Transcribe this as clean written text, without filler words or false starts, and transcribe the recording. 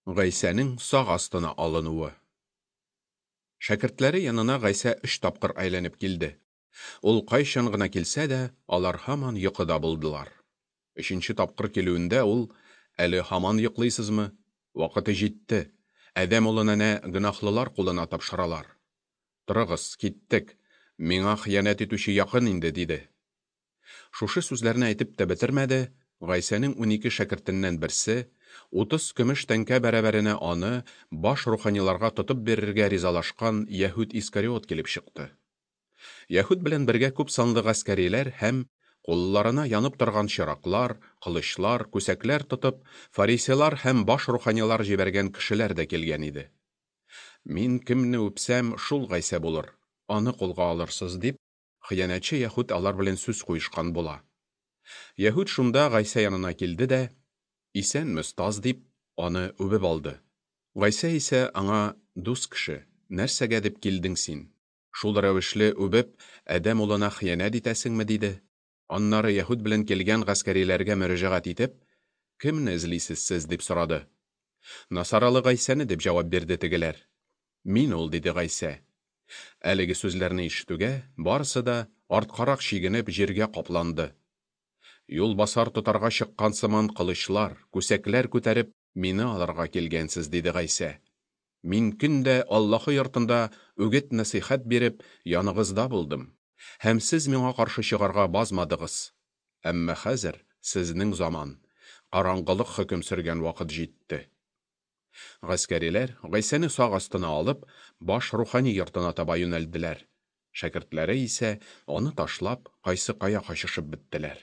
Гайсәнең сак астына алынуы. Шәкертләре янына Гайсә өч тапкыр әйләнеп килде. Ул кайчан гына килсә дә, алар һаман йокыда булдылар. Өченче тапкыр килүендә ул: Әле һаман йоклыйсызмы? Вакыты җитте. Адәм улын әнә гөнаһлылар кулына тапшыралар. Торыгыз, киттек. Миңа хыянәт итүче якын инде, диде. Шушы сүзләрне әйтеп тә бетермәде, Гайсәнең 12 шәкертеннән берсе, 30 көмеш тәңкә бәрабәренә аны баш руханиларга тотып бирергә ризалашкан Яһүд Искариот килеп чыкты. Яһүд белән бергә күп санлы гаскәриләр һәм кулларына янып торган чыраклар, кылычлар, күсәкләр тотып, фарисейлар һәм баш руханилар җибәргән кешеләр дә килгән иде. Мин кемне үпсәм, шул Гайсә булыр, аны кулга алырсыз, дип, хыянәтче Яһүд алар белән сүз куешкан була. Яһүд шунда Гайсә янына килде дә, "Исәнме, остаз?" дип, аны үбеп алды. Гайсә исә аңа: "Дус кеше, нәрсәгә дип килдең син? Шул рәвешле үбеп, адәм улына хыянәт итәсеңме?" диде. Аннары Яһүд белән килгән гаскәриләргә мөрәҗәгать итеп, "Кемне эзлисез сез?" дип сорады. "Насаралы Гайсәне", дип җавап бирде тегеләр. "Мин ул", диде Гайсә. Әлеге сүзләрне ишетүгә, барысы да арткарак чигенеп җиргә капланды. Юлбасар тотарга чыккан сыман кылычлар, күсәкләр күтәреп, мине алырга килгәнсез, диде Гайсә. Мин көн дә Аллаһы йортында үгет-нәсыйхәт биреп, яныгызда булдым, һәм сез миңа каршы чыгарга базмадыгыз. Әмма хәзер сезнең заман, караңгылык хөкем сөргән вакыт җитте. Гаскәриләр Гайсәне сак астына алып, баш рухани йортына таба юнәлделәр. Шәкертләре исә, аны ташлап, кайсы кая качышып беттеләр.